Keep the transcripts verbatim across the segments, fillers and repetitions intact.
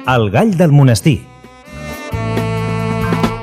El Gall del Monestir.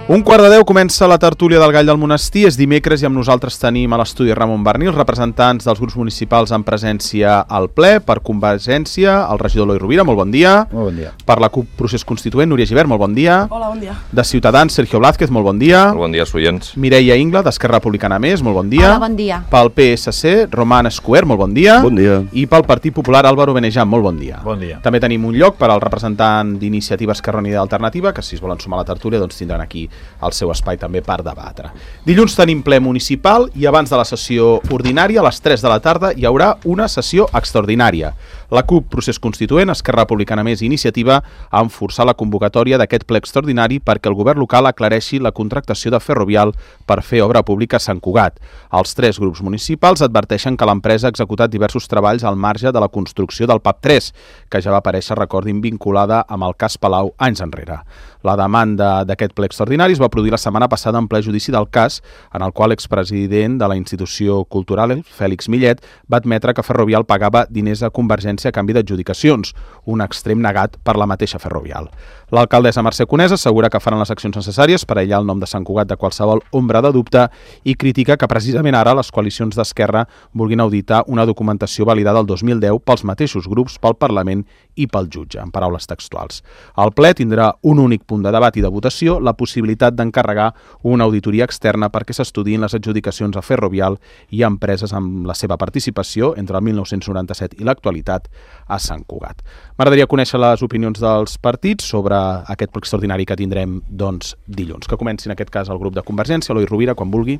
Un quart de deu comença la tertúlia del Gall del Monestir. És dimecres i amb nosaltres tenim a l'estudi Ramon Barnil, representants dels grups municipals en presència al ple. Per Convergència, el regidor Eloi Rovira, molt bon dia. Molt bon dia. Per la CUP Procés Constituent, Núria Gibert, molt bon dia. Hola, bon dia. De Ciutadans, Sergio Blázquez, molt bon dia. Molt bon dia, soients. Mireia Ingla, d'Esquerra Republicana Més, molt bon dia. Hola, bon dia. Pel P S C, Roman Escuer, molt bon dia. Bon dia. I pel Partit Popular, Álvaro Benejam, molt bon dia. Bon dia. També tenim un lloc per al representant d'Iniciativa Esquerra Unida i Alternativa, que si es volen sumar a la tertúlia doncs tindran aquí el seu espai també per debatre. Dilluns tenim ple municipal i abans de la sessió ordinària, a les tres de la tarda, hi haurà una sessió extraordinària. La CUP Procés Constituent, Esquerra Republicana Més i Iniciativa han forçat la convocatòria d'aquest ple extraordinari perquè el govern local aclareixi la contractació de Ferrovial per fer obra pública a Sant Cugat. Els tres grups municipals adverteixen que l'empresa ha executat diversos treballs al marge de la construcció del P A P tres, que ja va aparèixer, recordin, vinculada amb el cas Palau anys enrere. La demanda d'aquest ple extraordinari es va produir la setmana passada en ple judici del cas, en el qual l'expresident de la institució cultural, Fèlix Millet, va admetre que Ferrovial pagava diners a Convergència a canvi d'adjudicacions, un extrem negat per la mateixa Ferrovial. L'alcaldessa Mercè Conesa assegura que faran les accions necessàries per aïllar el nom de Sant Cugat de qualsevol ombra de dubte i critica que precisament ara les coalicions d'Esquerra vulguin auditar una documentació validada el dos mil deu pels mateixos grups, pel Parlament i pel jutge, en paraules textuals. El ple tindrà un únic punt de debat i de votació, la possibilitat d'encarregar una auditoria externa perquè s'estudiïn les adjudicacions a Ferrovial i a empreses amb la seva participació entre el mil nou-cents noranta-set i l'actualitat a Sant Cugat. M'agradaria conèixer les opinions dels partits sobre aquest ple extraordinari que tindrem doncs, dilluns. Que comenci en aquest cas el grup de Convergència, Eloi Rovira, quan vulgui.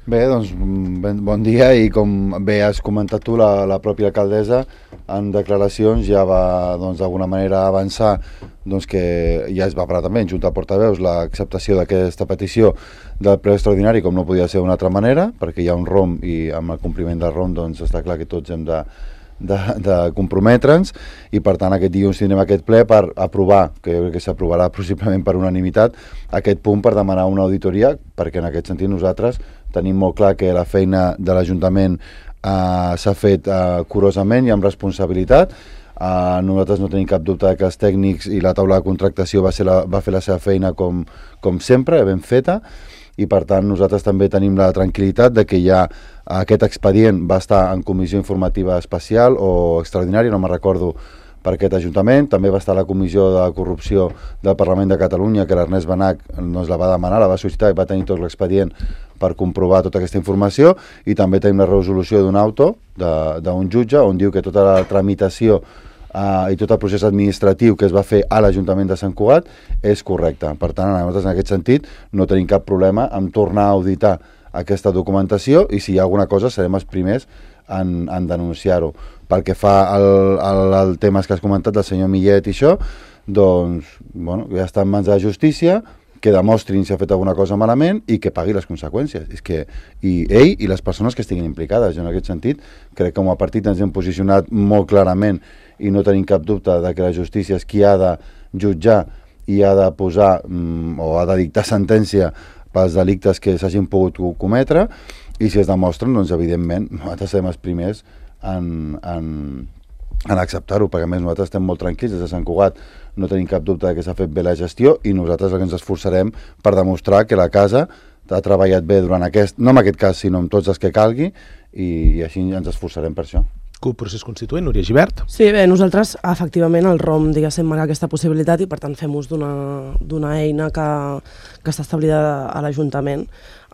Bé, doncs, ben, bon dia, i com bé has comentat tu, la, la pròpia alcaldessa en declaracions ja va doncs, d'alguna manera avançar doncs, que ja es va parlar també en Junta de Portaveus l'acceptació d'aquesta petició del ple extraordinari, com no podia ser d'una altra manera, perquè hi ha un R O M i amb el compliment del R O M doncs, està clar que tots hem de de, de comprometre'ns, i per tant aquest dilluns tindrem aquest ple per aprovar, que jo crec que s'aprovarà possiblement per unanimitat, aquest punt per demanar una auditoria, perquè en aquest sentit nosaltres tenim molt clar que la feina de l'Ajuntament eh, s'ha fet eh, curosament i amb responsabilitat. Uh, nosaltres no tenim cap dubte que els tècnics i la taula de contractació va, ser la, va fer la seva feina com, com sempre, ben feta, i per tant nosaltres també tenim la tranquil·litat de que ja aquest expedient va estar en comissió informativa especial o extraordinària, no me'n recordo, per aquest Ajuntament. També va estar a la comissió de corrupció del Parlament de Catalunya, que l'Ernest Benach doncs, la va demanar, la va sol·licitar i va tenir tot l'expedient per comprovar tota aquesta informació, i també tenim la resolució d'un auto d'un jutge on diu que tota la tramitació Uh, i tot el procés administratiu que es va fer a l'Ajuntament de Sant Cugat és correcte. Per tant, nosaltres en aquest sentit no tenim cap problema en tornar a auditar aquesta documentació, i si hi ha alguna cosa serem els primers en, en denunciar-ho. Pel que fa al, al, al temes que has comentat del senyor Millet i això, doncs bueno, ja està en mans de la justícia, que demostrin si ha fet alguna cosa malament i que pagui les conseqüències. És que, i ell i les persones que estiguin implicades. Jo en aquest sentit crec que com a partit ens hem posicionat molt clarament i no tenim cap dubte de que la justícia és qui ha de jutjar i ha de posar mm, o ha de dictar sentència pels delictes que s'hagin pogut cometre, i si es demostren, doncs evidentment nosaltres serem els primers en, en, en acceptar-ho, perquè a més nosaltres estem molt tranquils des de Sant Cugat, no tenim cap dubte que s'ha fet bé la gestió, i nosaltres el que ens esforçarem per demostrar que la casa ha treballat bé durant aquest, no en aquest cas sinó en tots els que calgui, i, i així ens esforçarem per això. CUP Procés Constituent, Núria Gibert. Sí, bé, nosaltres, efectivament, el R O M, diguéssim, marca aquesta possibilitat, i per tant fem ús d'una eina que, que està establida a l'Ajuntament,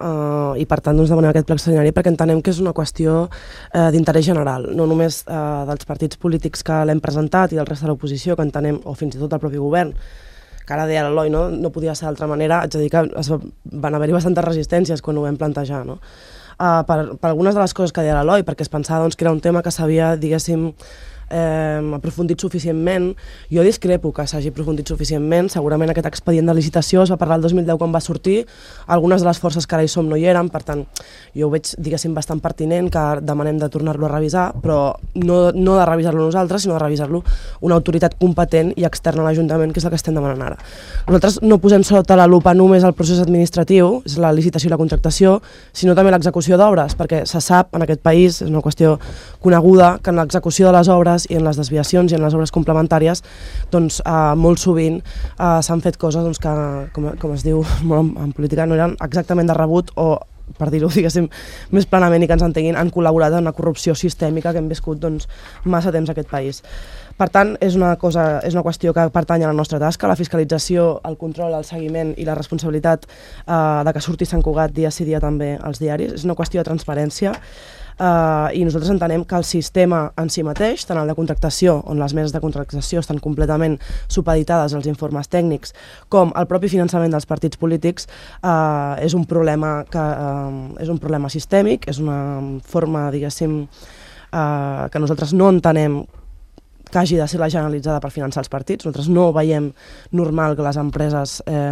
uh, i per tant doncs, demanem aquest ple extraordinari perquè entenem que és una qüestió uh, d'interès general, no només uh, dels partits polítics que l'hem presentat i del resta de l'oposició, que entenem, o fins i tot del propi govern, que ara deia l'Eloi, no? no podia ser d'altra manera, haig de dir que es van haver-hi bastantes resistències quan ho vam plantejar, no? Uh, per, per algunes de les coses que deia l'Eloi, perquè es pensava doncs, que era un tema que s'havia, diguéssim, eh, aprofundit suficientment. Jo discrepo que s'hagi aprofundit suficientment. Segurament aquest expedient de licitació es va parlar el dos mil deu quan va sortir. Algunes de les forces que ara hi som no hi eren, per tant, jo ho veig, diguéssim, bastant pertinent que demanem de tornar-lo a revisar, però no, no de revisar-lo nosaltres, sinó de revisar-lo una autoritat competent i externa a l'Ajuntament, que és el que estem demanant ara. Nosaltres no posem sota la lupa només el procés administratiu, és la licitació i la contractació, sinó també l'execució d'obres, perquè se sap en aquest país, és una qüestió coneguda, que en l'execució de les obres obres i en les desviacions i en les obres complementàries doncs, eh, molt sovint eh, s'han fet coses doncs, que, com, com es diu en, en política, no eren exactament de rebut o, per dir-ho, diguéssim, més planament i que ens entenguin, han col·laborat en una corrupció sistèmica que hem viscut doncs, massa temps a aquest país. Per tant, és una, cosa, és una qüestió que pertany a la nostra tasca, la fiscalització, el control, el seguiment i la responsabilitat eh, de que surti Sant Cugat dia sí dia també als diaris. És una qüestió de transparència eh, i nosaltres entenem que el sistema en si mateix, tant el de contractació, on les meses de contractació estan completament supeditades als informes tècnics, com el propi finançament dels partits polítics, eh, és un problema que eh, és un problema sistèmic, és una forma, diguéssim, eh, que nosaltres no entenem que hagi de ser la generalitzada per finançar els partits. Nosaltres no veiem normal que les empreses eh,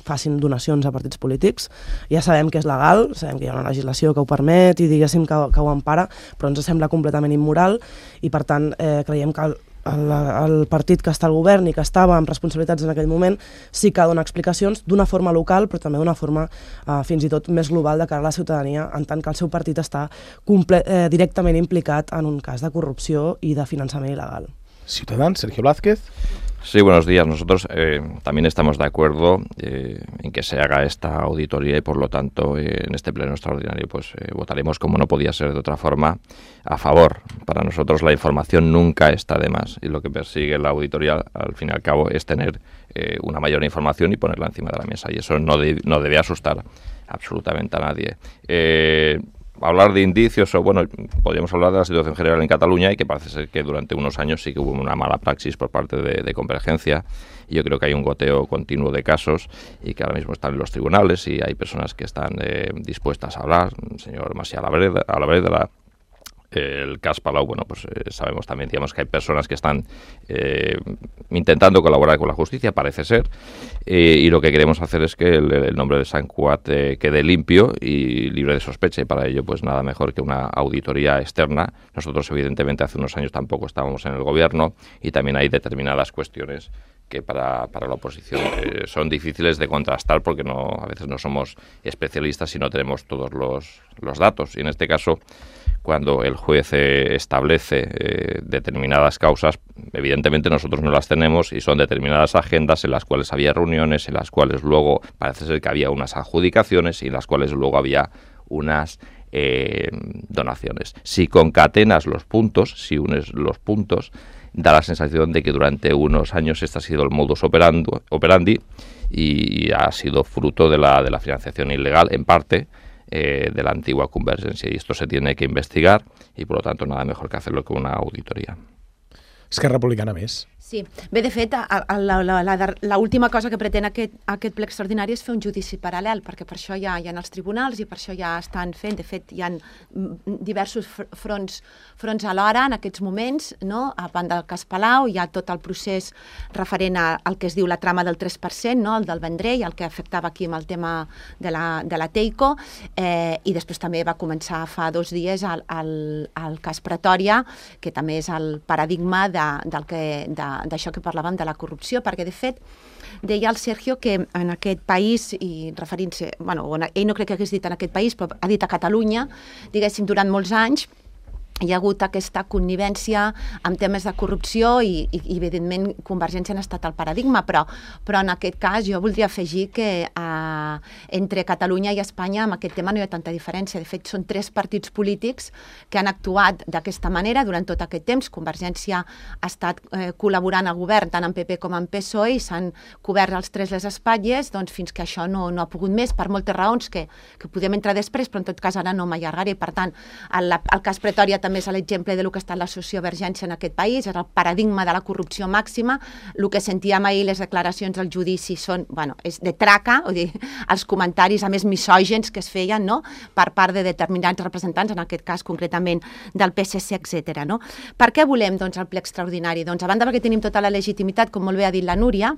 facin donacions a partits polítics. Ja sabem que és legal, sabem que hi ha una legislació que ho permet i diguéssim que, que ho empara, però ens sembla completament immoral i per tant eh, creiem que el, el, el partit que està al govern i que estava amb responsabilitats en aquell moment sí que dona explicacions d'una forma local però també d'una forma eh, fins i tot més global de cara a la ciutadania, en tant que el seu partit està comple eh, directament implicat en un cas de corrupció i de finançament il·legal. Ciudadans, Sergio Blázquez. Sí, buenos días. Nosotros eh, también estamos de acuerdo eh, en que se haga esta auditoría y por lo tanto eh, en este pleno extraordinario pues eh, votaremos, como no podía ser de otra forma, a favor. Para nosotros la información nunca está de más y lo que persigue la auditoría al fin y al cabo es tener eh, una mayor información y ponerla encima de la mesa y eso no, de, no debe asustar absolutamente a nadie. Eh, Hablar de indicios, o bueno, podríamos hablar de la situación general en Cataluña y que parece ser que durante unos años sí que hubo una mala praxis por parte de, de Convergencia y yo creo que hay un goteo continuo de casos y que ahora mismo están en los tribunales y hay personas que están eh, dispuestas a hablar. El señor Macià Alavedra, el cas Palau, bueno, pues eh, sabemos también, digamos, que hay personas que están eh, intentando colaborar con la justicia, parece ser, eh, y lo que queremos hacer es que el, el nombre de Sant Cugat eh, quede limpio y libre de sospecha, y para ello, pues nada mejor que una auditoría externa. Nosotros, evidentemente, hace unos años tampoco estábamos en el gobierno y también hay determinadas cuestiones que para, para la oposición eh, son difíciles de contrastar porque no a veces no somos especialistas y no tenemos todos los, los datos. Y en este caso, cuando el juez eh, establece eh, determinadas causas, evidentemente nosotros no las tenemos y son determinadas agendas en las cuales había reuniones, en las cuales luego parece ser que había unas adjudicaciones y en las cuales luego había unas eh, donaciones. Si concatenas los puntos, si unes los puntos, da la sensación de que durante unos años este ha sido el modus operandi y ha sido fruto de la, de la financiación ilegal, en parte, eh, de la antigua Convergencia. Y esto se tiene que investigar y, por lo tanto, nada mejor que hacerlo que una auditoría. Esquerra Republicana més. Sí. Bé, de fet, l'última cosa que pretén aquest, aquest ple extraordinari és fer un judici paral·lel, perquè per això hi ha, hi ha els tribunals i per això ja estan fent, de fet, hi ha diversos fronts, fronts alhora en aquests moments, no? A banda del cas Palau, hi ha tot el procés referent al que es diu la trama del tres per cent, no? El del Vendrell, el que afectava aquí amb el tema de la, de la Teico, eh, i després també va començar fa dos dies el, el, el cas Pretòria, que també és el paradigma de, del que... De, d'això que parlàvem de la corrupció, perquè de fet deia el Sergio que en aquest país, i referint-se, bueno, ell no crec que hagués dit en aquest país, però ha dit a Catalunya, diguéssim, durant molts anys hi ha hagut aquesta connivència amb temes de corrupció i, i, i evidentment, Convergència ha estat el paradigma, però, però en aquest cas jo voldria afegir que eh, entre Catalunya i Espanya amb aquest tema no hi ha tanta diferència. De fet, són tres partits polítics que han actuat d'aquesta manera durant tot aquest temps. Convergència ha estat eh, col·laborant al govern tant en P P com en P S O E i s'han cobert els tres les espatlles doncs, fins que això no, no ha pogut més, per moltes raons que, que podem entrar després, però en tot cas ara no m'allargaré. Per tant, el, el cas Pretòria també és l'exemple de lo que ha estat la sociovergència en aquest país, és el paradigma de la corrupció màxima. El que sentíem ahir, les declaracions al judici són, bueno, és de traca, o dir, els comentaris a més misògens que es feien, no?, per part de determinats representants, en aquest cas concretament del P S C, etcètera. No? Per què volem doncs, el ple extraordinari? Doncs a banda perquè tenim tota la legitimitat, com molt bé ha dit la Núria,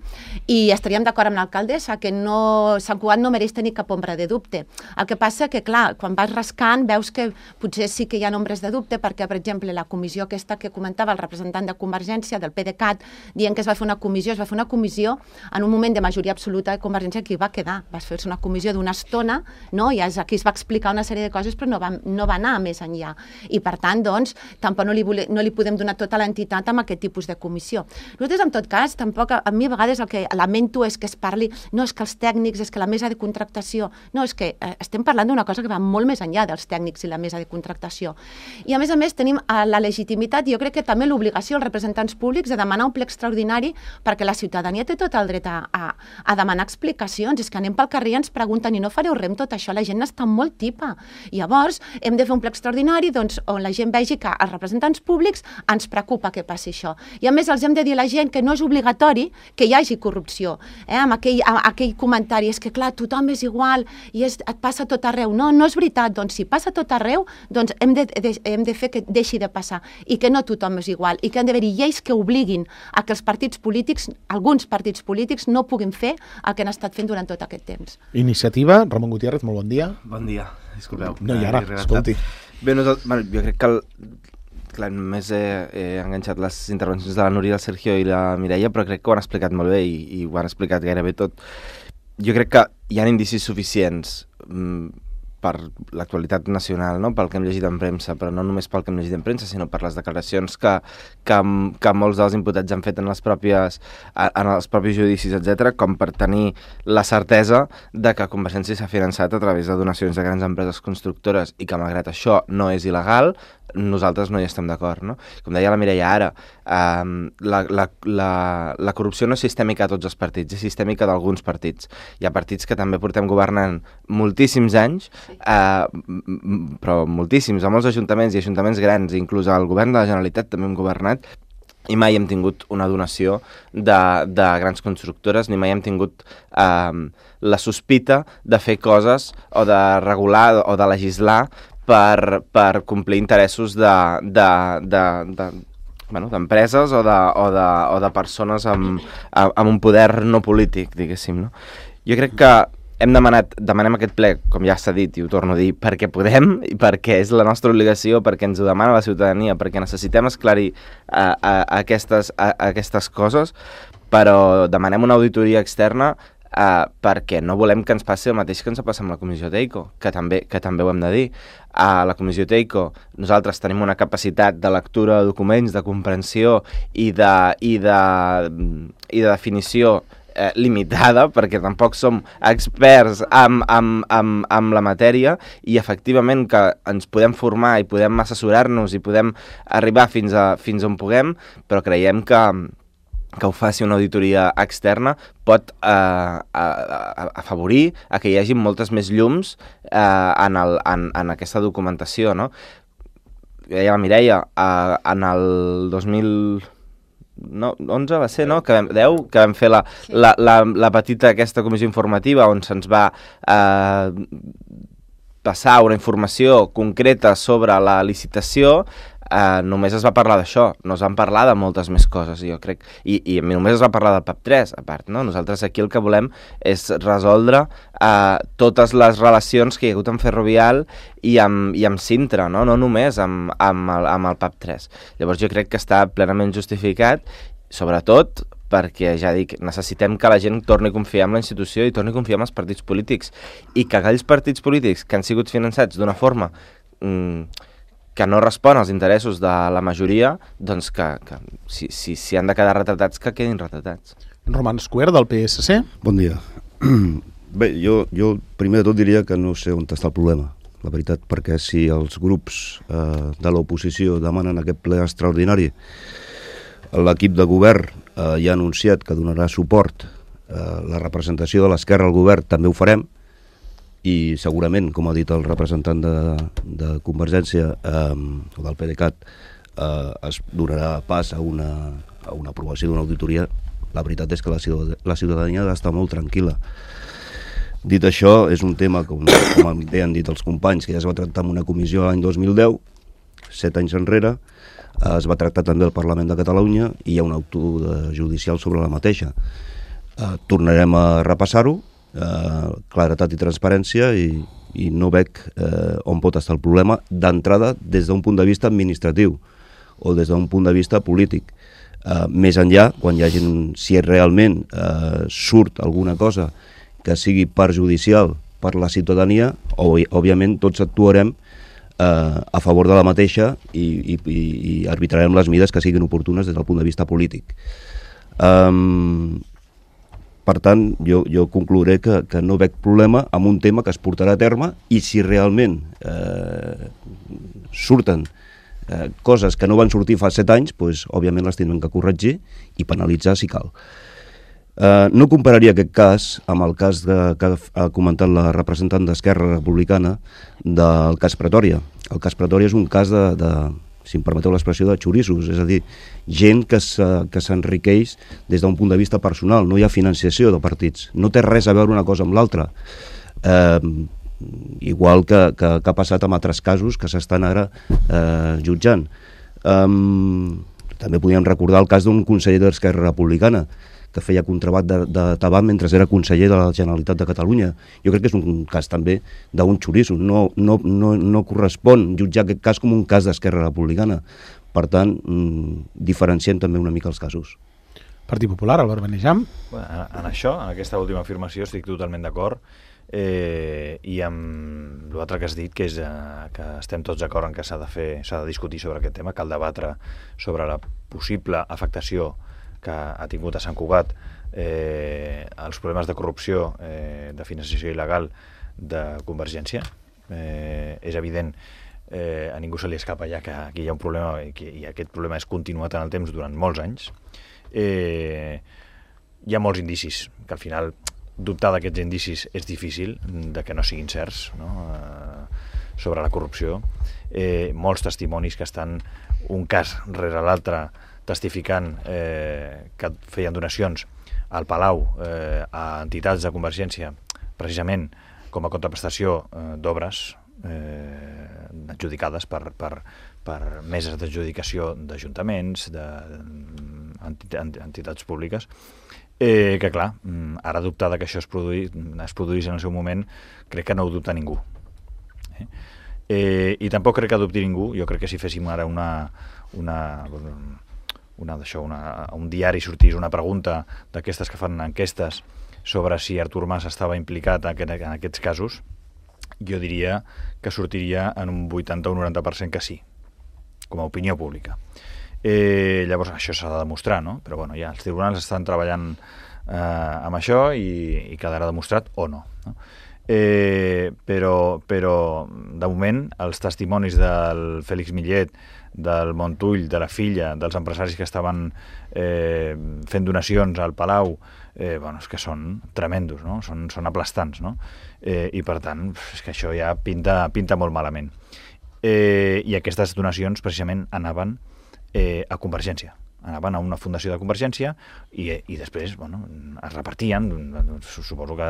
i estaríem d'acord amb l'alcaldessa que no, Sant Cugat no mereix tenir cap ombra de dubte. El que passa que, clar, quan vas rascant veus que potser sí que hi ha ombres de dubte, perquè, per exemple, la comissió aquesta que comentava el representant de Convergència, del PDeCAT, dient que es va fer una comissió, es va fer una comissió en un moment de majoria absoluta de Convergència que hi va quedar. Va fer-se una comissió d'una estona, no? I aquí es va explicar una sèrie de coses, però no va, no va anar més enllà. I, per tant, doncs, tampoc no li, vole, no li podem donar tota l'entitat amb aquest tipus de comissió. Nosaltres, en tot cas, tampoc, a mi a vegades el que lamento és que es parli, no és que els tècnics, és que la mesa de contractació, no, és que eh, estem parlant d'una cosa que va molt més enllà dels tècnics i la mesa de contractació. I a més a més tenim la legitimitat i jo crec que també l'obligació als representants públics de demanar un ple extraordinari perquè la ciutadania té tot el dret a, a, a demanar explicacions. És que anem pel carrer i ens pregunten i no fareu res amb tot això, la gent està molt tipa. I llavors hem de fer un ple extraordinari doncs, on la gent vegi que als representants públics ens preocupa que passi això. I a més els hem de dir a la gent que no és obligatori que hi hagi corrupció. Eh? Amb aquell, amb aquell comentari, és que clar, tothom és igual i és, et passa tot arreu. No, no és veritat. Doncs si passa tot arreu, doncs hem de, de, hem de fer que deixi de passar i que no tothom és igual i que han d'haver-hi lleis que obliguin a que els partits polítics, alguns partits polítics, no puguin fer el que han estat fent durant tot aquest temps. Iniciativa, Ramon Gutiérrez, molt bon dia. Bon dia, disculpeu. No, i ara, escolti. Bé, nosaltres, bueno, jo crec que el, clar, només he, he enganxat les intervencions de la Núria, el Sergio i la Mireia, però crec que ho han explicat molt bé i, i ho han explicat gairebé tot. Jo crec que hi ha indicis suficients mm, per l'actualitat nacional, no? Pel que hem llegit en premsa, però no només pel que hem llegit en premsa, sinó per les declaracions que, que, que molts dels imputats han fet en, les pròpies, en els propis judicis, etcètera, com per tenir la certesa de que Convergència s'ha finançat a través de donacions de grans empreses constructores i que, malgrat això, no és il·legal, nosaltres no hi estem d'acord, no? Com deia la Mireia ara, eh, la, la, la, la corrupció no és sistèmica a tots els partits, és sistèmica d'alguns partits. Hi ha partits que també portem governant moltíssims anys, eh, però moltíssims, a molts ajuntaments i ajuntaments grans, inclús el govern de la Generalitat també hem governat, i mai hem tingut una donació de, de grans constructores, ni mai hem tingut eh, la sospita de fer coses o de regular o de legislar per, per complir interessos de, de, de, de, bueno, d'empreses o de, o de, o de persones amb, amb un poder no polític, diguéssim, no? Jo crec que hem demanat, demanem aquest ple, com ja s'ha dit i ho torno a dir, perquè podem i perquè és la nostra obligació, perquè ens ho demana la ciutadania, perquè necessitem esclarir uh, uh, aquestes, uh, aquestes coses, però demanem una auditoria externa uh, perquè no volem que ens passi el mateix que ens passa amb la Comissió Teico, que també, que també ho hem de dir. A la Comissió Teico nosaltres tenim una capacitat de lectura de documents, de comprensió i de, i de, i de definició Eh, limitada, perquè tampoc som experts amb, amb, amb, amb la matèria i efectivament que ens podem formar i podem assessorar-nos i podem arribar fins, a, fins on puguem, però creiem que, que ho faci una auditoria externa pot eh, a, a, afavorir a que hi hagi moltes més llums eh, en, el, en, en aquesta documentació, no? Deia la Mireia, eh, en el dos mil no, onze va ser, no? Que vam, deu, que vam fer la, sí. la, la, la petita aquesta comissió informativa on se'ns va eh, passar una informació concreta sobre la licitació. Uh, només es va parlar d'això, no es van parlar de moltes més coses, jo crec, i, i només es va parlar del P A P tres, a part, no? Nosaltres aquí el que volem és resoldre uh, totes les relacions que hi ha hagut amb Ferrovial i amb, i amb Sintra, no? No només amb, amb, el, amb el P A P tres. Llavors jo crec que està plenament justificat, sobretot perquè, ja dic, necessitem que la gent torni a confiar en la institució i torni a confiar en els partits polítics, i que aquells partits polítics que han sigut finançats d'una forma mm, que no respon als interessos de la majoria, doncs que, que si, si, si han de quedar retratats, que quedin retratats. Roman Escuer, del P S C. Bon dia. Bé, jo, jo primer de tot diria que no sé on està el problema, la veritat, perquè si els grups eh, de l'oposició demanen aquest ple extraordinari, l'equip de govern eh, ja ha anunciat que donarà suport, eh, la representació de l'esquerra al govern també ho farem, i segurament, com ha dit el representant de, de Convergència eh, o del PDeCAT, eh, es donarà pas a una, a una aprovació d'una auditoria. La veritat és que la, la ciutadania ha d'estar molt tranquil·la. Dit això, és un tema, com, com bé han dit els companys, que ja es va tractar en una comissió l'any dos mil deu, set anys enrere, eh, es va tractar també al Parlament de Catalunya i hi ha un auto judicial sobre la mateixa. Eh, tornarem a repassar-ho, Uh, claretat i transparència, i, i no veig eh, on pot estar el problema d'entrada des d'un punt de vista administratiu o des d'un punt de vista polític. Eh, més enllà, quan hi hagi, si realment eh, surt alguna cosa que sigui perjudicial per la ciutadania, òbviament tots actuarem eh, a favor de la mateixa i, i, i arbitrarem les mides que siguin oportunes des del punt de vista polític. Um, per tant, jo, jo conclouré que, que no veig problema amb un tema que es portarà a terme i si realment eh, surten eh, coses que no van sortir fa set anys, doncs, òbviament les tindrem que corregir i penalitzar si cal. Uh, no compararia aquest cas amb el cas de, que ha comentat la representant d'Esquerra Republicana del cas Pretòria. El cas Pretòria és un cas de, de si em permeteu l'expressió, de xorissos, és a dir, gent que s'enriqueix des d'un punt de vista personal, no hi ha financiació de partits, no té res a veure una cosa amb l'altra. Eh, igual que, que, que ha passat amb altres casos que s'estan ara eh, jutjant. Eh, també podríem recordar el cas d'un conseller d'Esquerra Republicana, que feia contrabat de, de tabac mentre era conseller de la Generalitat de Catalunya. Jo crec que és un cas també d'un xoriço. No, no, no, no correspon jutjar aquest cas com un cas d'Esquerra Republicana. Per tant, mmm, diferenciem també una mica els casos. Partit Popular, Albert Benejam. Bueno, en, en això, en aquesta última afirmació, estic totalment d'acord. Eh, I amb l'altre que has dit, que és eh, que estem tots d'acord en que s'ha de fer, s'ha de discutir sobre aquest tema, cal debatre sobre la possible afectació que ha tingut a Sant Cugat eh, els problemes de corrupció, eh, de financiació il·legal de Convergència. Eh, és evident, eh, a ningú se li escapa ja que aquí hi ha un problema i, que, i aquest problema és continuat en el temps durant molts anys. Eh, hi ha molts indicis, que al final dubtar d'aquests indicis és difícil, de que no siguin certs, no? Eh, sobre la corrupció. Eh, molts testimonis que estan un cas rere l'altre testificant eh, que feien donacions al Palau eh, a entitats de Convergència precisament com a contraprestació eh, d'obres eh, adjudicades per, per, per meses d'adjudicació d'ajuntaments, d'entitats públiques, eh, que clar, ara dubtar que això es, produï, es produís en el seu moment, crec que no ho dubta ningú. Eh? Eh, I tampoc crec que dubti ningú, jo crec que si féssim ara una... una Una, d'això, una, un diari sortís una pregunta d'aquestes que fan enquestes sobre si Artur Mas estava implicat en, aquest, en aquests casos, jo diria que sortiria en un vuitanta o un noranta per cent que sí, com a opinió pública. Eh, llavors, això s'ha de demostrar, no? Però bueno, ja els tribunals estan treballant eh, amb això i, i quedarà demostrat o no, no? Eh, però, però de moment els testimonis del Félix Millet, del Montull, de la filla, dels empresaris que estaven eh, fent donacions al Palau, eh, bueno, és que són tremendos, no? Són, són aplastants, no? Eh, I per tant, és que això ja pinta, pinta molt malament. Eh, I aquestes donacions precisament anaven eh, a Convergència. Anaven a una fundació de Convergència i, i després, bueno, es repartien. Suposo que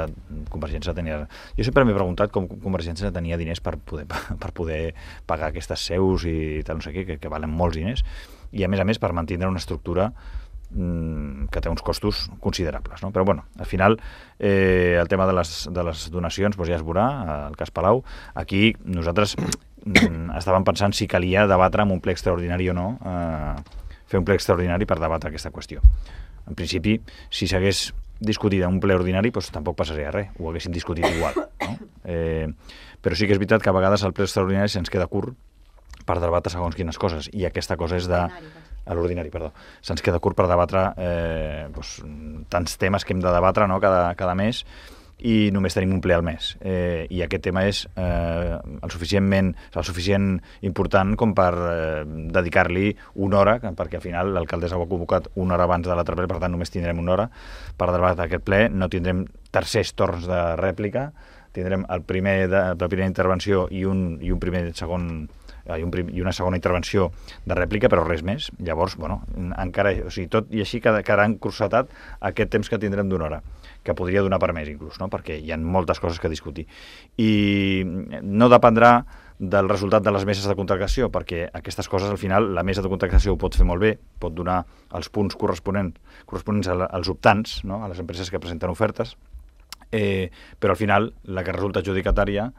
Convergència tenia... Jo sempre m'he preguntat com Convergència tenia diners per poder, per poder pagar aquestes seus i tal, no sé què, que, que valen molts diners, i a més a més per mantenir una estructura mmm, que té uns costos considerables, no? Però bueno, al final eh, el tema de les, de les donacions doncs ja es veurà, el cas Palau. Aquí nosaltres mm, estàvem pensant si calia debatre amb un ple extraordinari o no, eh, fer un ple extraordinari per debatre aquesta qüestió. En principi, si s'hagués discutit en un ple ordinari, doncs tampoc passaria res, ho haguéssim discutit igual, no? Eh, però sí que és veritat que a vegades el ple extraordinari se'ns queda curt per debatre segons quines coses, i aquesta cosa és de... A l'ordinari, perdó. Se'ns queda curt per debatre eh, doncs, tants temes que hem de debatre, no? cada, cada mes, i només tenim un ple al mes. Eh, I aquest tema és eh, el, suficientment, el suficient important com per eh, dedicar-li una hora, perquè al final l'alcaldessa ho ha convocat una hora abans de l'altre ple, per tant només tindrem una hora per debatre aquest ple. No tindrem tercers torns de rèplica, tindrem el primer de, la primera intervenció i un, i un primer segon i, un prim, i una segona intervenció de rèplica, però res més. Llavors, bueno, encara, o sigui, tot i així quedarà encursetat aquest temps que tindrem d'una hora, que podria donar per més inclús, no? Perquè hi ha moltes coses que discutir. I no dependrà del resultat de les meses de contractació, perquè aquestes coses al final la mesa de contractació ho pot fer molt bé, pot donar els punts corresponents, corresponents als optants, no? A les empreses que presenten ofertes, eh, però al final la que resulta adjudicatària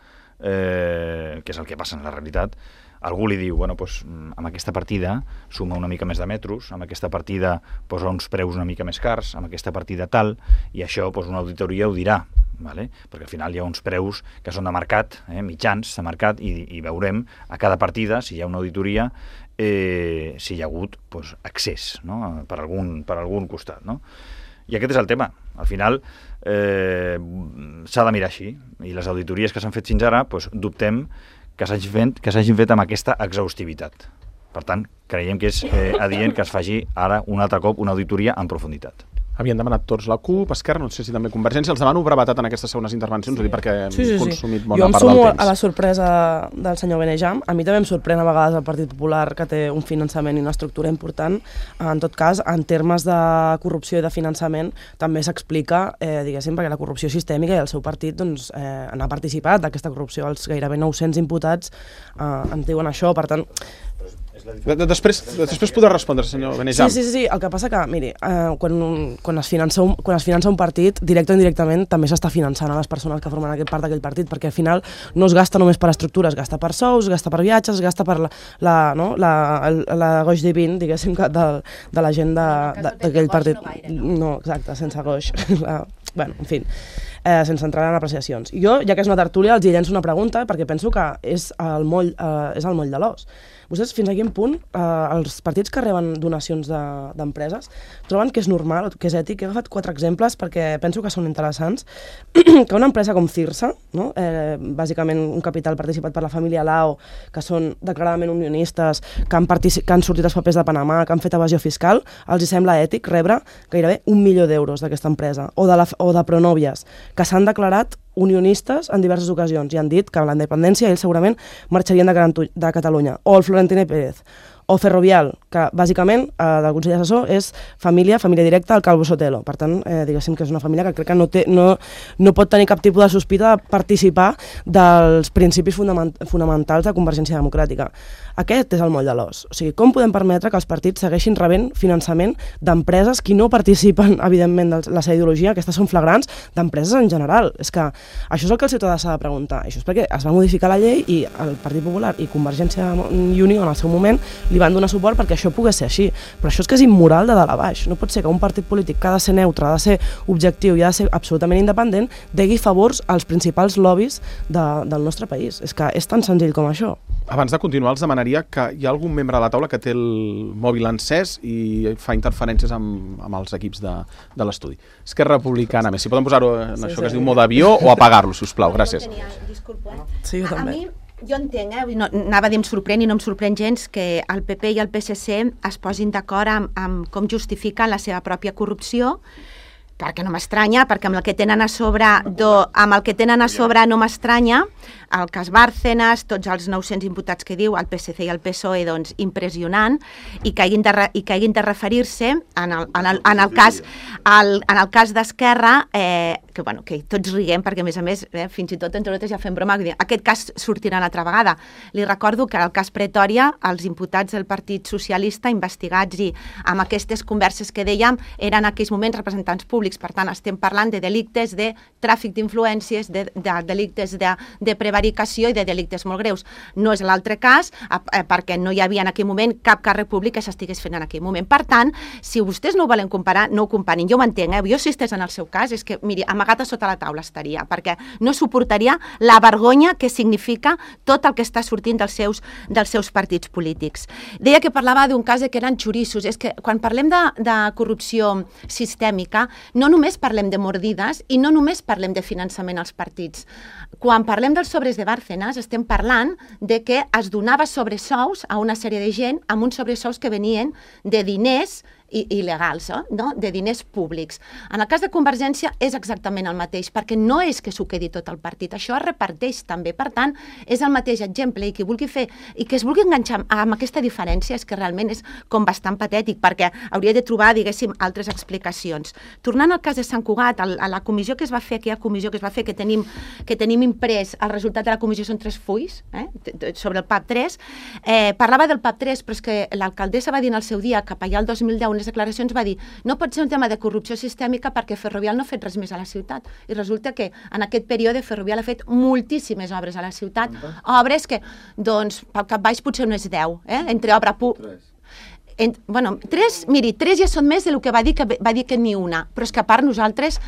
eh, que és el que passa en la realitat, algú li diu, bueno, doncs, amb aquesta partida suma una mica més de metros, amb aquesta partida posa uns preus una mica més cars, amb aquesta partida tal, i això doncs, una auditoria ho dirà, vale? Perquè al final hi ha uns preus que són de mercat, eh, mitjans de mercat, i, i veurem a cada partida, si hi ha una auditoria, eh, si hi ha hagut doncs, accés, no? per, algun, per algun costat. No? I aquest és el tema. Al final eh, s'ha de mirar així, i les auditories que s'han fet fins ara, doncs, dubtem que s'hagin fet, que s'hagin fet amb aquesta exhaustivitat. Per tant, creiem que és eh, adient que es faci ara un altre cop una auditoria en profunditat. Havien demanat tots la CUP, Esquerra, no sé si també Convergència. Els demano brevetat en aquestes segones intervencions, sí. perquè hem sí, sí, consumit sí. bona part del temps. Jo em sumo a la sorpresa del senyor Benejam. A mi també em sorprèn a vegades el Partit Popular, que té un finançament i una estructura important. En tot cas, en termes de corrupció i de finançament, també s'explica, eh, diguéssim, perquè la corrupció sistèmica i el seu partit doncs, eh, han participat d'aquesta corrupció. Els gairebé nou-cents imputats eh, ens diuen això, per tant... Després, després podrà respondre, senyor Benejam. Sí, sí, sí, el que passa que, miri, eh, quan, quan, es finança un, quan es finança un partit, directe o indirectament, també s'està finançant a les persones que formen aquest part d'aquell partit, perquè al final no es gasta només per estructures, es gasta per sous, es gasta per viatges, es gasta per la, la, no, la, la, la goix divin, diguéssim, de, de la gent d'aquell partit. No, exacte, sense goix. La, bueno, en fi, eh, sense entrar en apreciacions. Jo, ja que és una tertúlia, els hi llenço una pregunta, perquè penso que és el moll, eh, és el moll de l'os. Vostès fins a quin punt eh, els partits que reben donacions d'empreses de, troben que és normal, que és ètic? He agafat quatre exemples perquè penso que són interessants. Que una empresa com Cirsa, no? eh, bàsicament un capital participat per la família Lao, que són declaradament unionistes, que han, que han sortit els papers de Panamà, que han fet evasió fiscal, els hi sembla ètic rebre gairebé un milió d'euros d'aquesta empresa. O de, la, o de Pronòvies, que s'han declarat unionistes en diverses ocasions i han dit que amb la independència ells segurament marxarien de, de Catalunya. O el Florentino Pérez. O Ferrovial, que bàsicament eh, del Consell Assessor és família, família directa al Calvo Sotelo. Per tant, eh, diguéssim que és una família que crec que no, té, no, no pot tenir cap tipus de sospita de participar dels principis fonament, fonamentals de Convergència Democràtica. Aquest és el moll de l'os. O sigui, com podem permetre que els partits segueixin rebent finançament d'empreses que no participen, evidentment, de la seva ideologia, aquestes són flagrants, d'empreses en general. És que això és el que el ciutadà s'ha de preguntar. Això és perquè es va modificar la llei i el Partit Popular i Convergència i Unió en el seu moment li van donar suport perquè això pogués ser així. Però això és que és immoral de dalt a baix. No pot ser que un partit polític que ha de ser neutre, ha de ser objectiu i ha de ser absolutament independent, degui favors als principals lobbies de, del nostre país. És que és tan senzill com això. Abans de continuar, els demanaria que hi ha algun membre de la taula que té el mòbil encès i fa interferències amb, amb els equips de, de l'estudi. Esquerra Republicana, més, si poden posar-ho en sí, això sí. que es diu mode avió o apagar-lo, si us plau. Gràcies. Disculpa. Sí, jo també. A mi, jo entenc, eh? no, anava a dir em sorprèn i no em sorprèn gens que el P P i el P S C es posin d'acord amb, amb com justifiquen la seva pròpia corrupció, perquè no m'estranya, perquè amb el que tenen a sobre, do, amb el que tenen a sobre no m'estranya, el cas Bárcenas, tots els nou-cents imputats que diu, el P S C i el P S O E, doncs impressionant, i que hagin de, re, i que hagin de referir-se en el, en el, en el cas, el, en el cas d'Esquerra, eh, que, bueno, que tots riguem, perquè a més a més, eh, fins i tot entre nosaltres ja fem broma, que aquest cas sortirà una altra vegada. Li recordo que el cas Pretòria, els imputats del Partit Socialista investigats i amb aquestes converses que dèiem, eren en aquells moments representants públics, per tant estem parlant de delictes de tràfic d'influències, de, de delictes de, de prevaricació i de delictes molt greus. No és l'altre cas, eh, perquè no hi havia en aquell moment cap càrrec públic que s'estigués fent en aquell moment. Per tant, si vostès no ho volen comparar, no ho comparin. Jo ho entenc, eh? Jo si estés en el seu cas, és que, miri, amagat a sota la taula estaria, perquè no suportaria la vergonya que significa tot el que està sortint dels seus, dels seus partits polítics. Deia que parlava d'un cas que eren xorissos. És que quan parlem de, de corrupció sistèmica, no només parlem de mordides i no només parlem de finançament als partits. Quan parlem dels sobres de Bárcenas, estem parlant de que es donava sobresous a una sèrie de gent amb uns sobresous que venien de diners il·legals, eh? no? de diners públics. En el cas de Convergència és exactament el mateix, perquè no és que s'ho quedi tot el partit, això es reparteix també. Per tant, és el mateix exemple, i qui vulgui fer, i que es vulgui enganxar amb aquesta diferència és que realment és com bastant patètic, perquè hauria de trobar, diguéssim, altres explicacions. Tornant al cas de Sant Cugat, a la comissió que es va fer, aquella comissió que es va fer, que tenim, que tenim imprès, el resultat de la comissió són tres fulls, eh? sobre el P A P tres, eh, parlava del P A P tres, però és que l'alcaldessa va dir en el seu dia que allà el dos mil deu unes declaracions va dir no pot ser un tema de corrupció sistèmica perquè Ferrovial no ha fet res més a la ciutat. I resulta que en aquest període Ferrovial ha fet moltíssimes obres a la ciutat, obres que, doncs, pel cap baix potser no és deu, eh? Entre obra pública... En, bueno, tres, miri, tres ja són més del que va dir que va dir que ni una, però és que a part nosaltres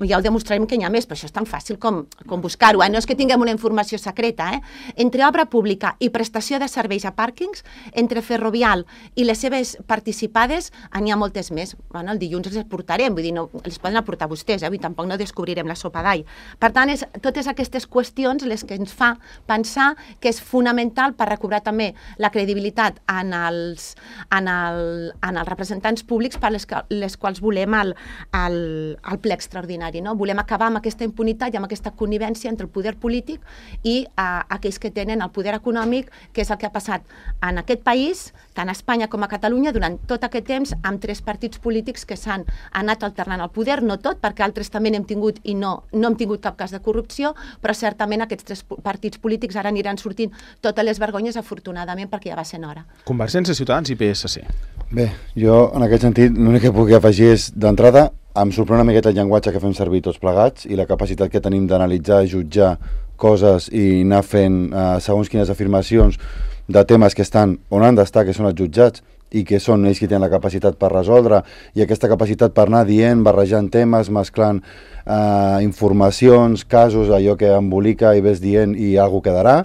ja ho demostrarem que n'hi ha més, però això és tan fàcil com, com buscar-ho, eh? No és que tinguem una informació secreta, eh? Entre obra pública i prestació de serveis a pàrquings, entre Ferrovial i les seves participades n'hi ha moltes més. Bueno, el dilluns els portarem, vull dir, no, els poden aportar vostès, eh? Vull dir, tampoc no descobrirem la sopa d'all. Per tant, és totes aquestes qüestions les que ens fa pensar que és fonamental per recobrar també la credibilitat en els, en El, en els representants públics per les, les quals volem el, el, el ple extraordinari. No? Volem acabar amb aquesta impunitat i amb aquesta connivència entre el poder polític i uh, aquells que tenen el poder econòmic, que és el que ha passat en aquest país, tant a Espanya com a Catalunya, durant tot aquest temps, amb tres partits polítics que s'han anat alternant el poder, no tot, perquè altres també n'hem tingut i no, no hem tingut cap cas de corrupció, però certament aquests tres partits polítics ara aniran sortint totes les vergonyes, afortunadament, perquè ja va sent hora. Convergència, Ciutadans i P S C. Bé, jo en aquest sentit l'únic que puc afegir és, d'entrada, em sorprèn una miqueta el llenguatge que fem servir tots plegats i la capacitat que tenim d'analitzar, jutjar coses i anar fent eh, segons quines afirmacions de temes que estan on han d'estar, que són els jutjats, i que són ells qui tenen la capacitat per resoldre, i aquesta capacitat per anar dient, barrejant temes, mesclant eh, informacions, casos, allò que embolica i ves dient i alguna quedarà,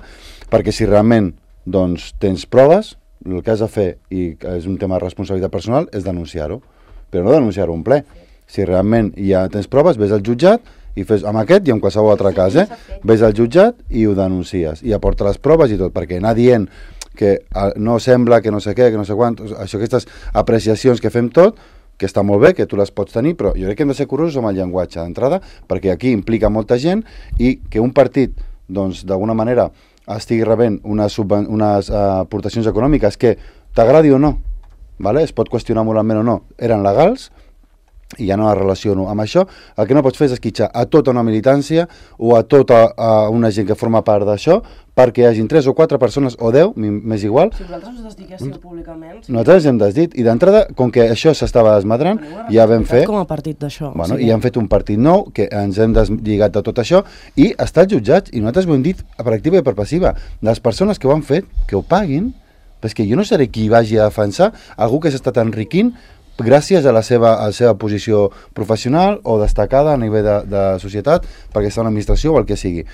perquè si realment doncs, tens proves, el que has de fer, i és un tema de responsabilitat personal, és denunciar-ho, però no denunciar-ho en ple. Si realment ja tens proves, ves al jutjat i fes amb aquest i en qualsevol altre cas, eh? Ves al jutjat i ho denuncies, i aporta les proves i tot, perquè anar dient que no sembla, que no sé què, que no sé quant, això, aquestes apreciacions que fem tot, que està molt bé, que tu les pots tenir, però jo crec que hem de ser curosos amb el llenguatge d'entrada, perquè aquí implica molta gent i que un partit, doncs, d'alguna manera, estigui rebent unes, unes uh, aportacions econòmiques que t'agradi o no, vale? Es pot qüestionar moralment o no, eren legals, i ja no la relaciono amb això. El que no pots fer és esquitxar a tota una militància o a tota uh, una gent que forma part d'això perquè hi hagin tres o quatre persones, o deu, m'és igual. Si vosaltres us desdiguéssiu públicament... Sí. Nosaltres hem desdit, i d'entrada, com que això s'estava desmadrant, ja vam fer... Com a partit d'això. Bueno, sí. I hem fet un partit nou, que ens hem deslligat de tot això, i ha estat jutjats, i nosaltres ho hem dit per activa i per passiva. Les persones que ho han fet, que ho paguin, perquè jo no seré qui vagi a defensar algú que s'ha estat enriquint gràcies a la seva, a la seva posició professional o destacada a nivell de, de societat, perquè està en l'administració o el que sigui.